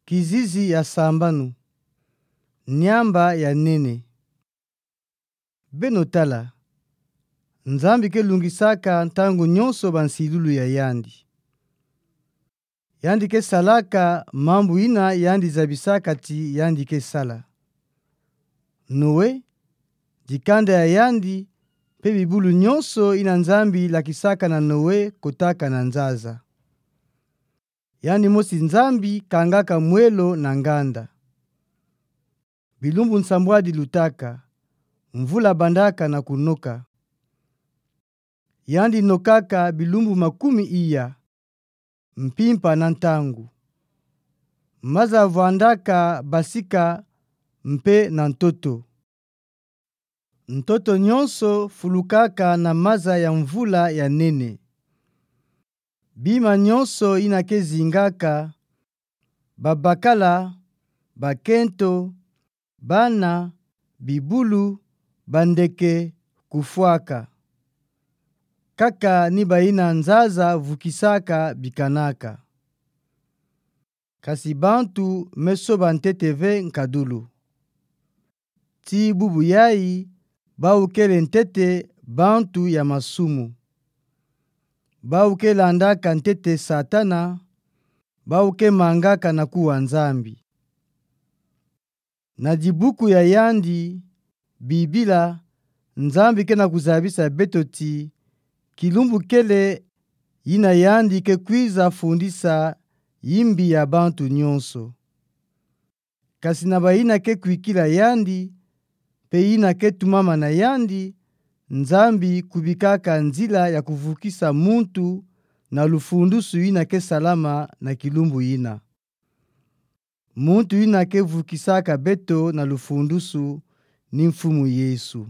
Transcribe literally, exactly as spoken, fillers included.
Kizizi ya sambanu. Niamba ya nene. Beno tala, Nzambi ke lunghisaka ntangu nyonso bansilulu ya yandi. Yandi ke salaka mambu yina yandi zabisaka ti yandi ke sala. Noe, dikanda ya yandi, mpe bibulu nyonso yina Nzambi lakisaka na Noe kotaka na nzaza. Yandi mosi Nzambi kangaka mwelo na nganda. Bilumbu nsambwadi lutaka, mvula bandaka na kunoka. Yandi nokaka bilumbu makumi iya, mpimpa na ntangu. Maza vwandaka basika mpe na ntoto. Ntoto nyonso fulukaka na maza ya mvula ya nene. Bima nyonso yina ke zingaka, babakala, bakento, bana, bibulu, bandeke, kufwaka. Kaka ni bayina nzaza vukisaka bikanaka. Kasi bantu me soba ntete ve nkadulu. Ti bubu yayi, bawu kele ntete bantu ya masumu. Bawu ke landaka ntete Satana, bawu ke mangaka na kuwa Nzambi. Na dibuku ya yandi, Bibila, Nzambi ke na kuzabisa beto ti, kilumbu kele yina yandi ke kwiza fundisa yimbi ya bantu nyonso. Kasi na bayina ke kwikila yandi, mpe yina ke tumama na yandi, Nzambi kubikaka nzila ya kuvukisa muntu na lufundusu yina ke salama na kilumbu yina. Muntu yina ke vukisaka beto na lufundusu ni Mfumu Yesu.